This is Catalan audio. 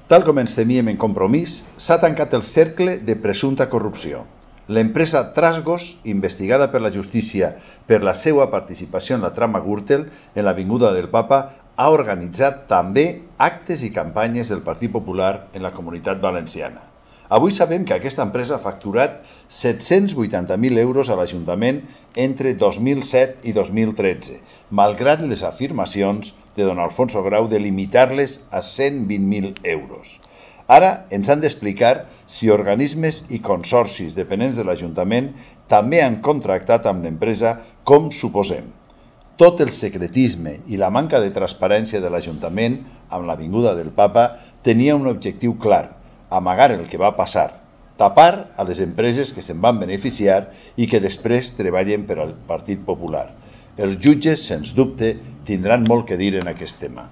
Tal com ens temíem en Compromís, s'ha tancat el cercle de presumpta corrupció. L'empresa Trasgos, investigada per la justícia per la seva participació en la trama Gürtel en l'Avinguda del Papa, ha organitzat també actes i campanyes del Partit Popular en la Comunitat Valenciana. Avui sabem que aquesta empresa ha facturat 780.000 euros a l'Ajuntament entre 2007 i 2013, malgrat les afirmacions de don Alfonso Grau de limitar-les a 120.000 euros. Ara ens han d'explicar si organismes i consorcis dependents de l'Ajuntament també han contractat amb l'empresa com suposem. Tot el secretisme i la manca de transparència de l'Ajuntament amb l'Avinguda del Papa tenia un objectiu clar: amagar el que va passar, tapar a les empreses que se'n van beneficiar i que després treballen per al Partit Popular. Els jutges, sens dubte, tindran molt que dir en aquest tema.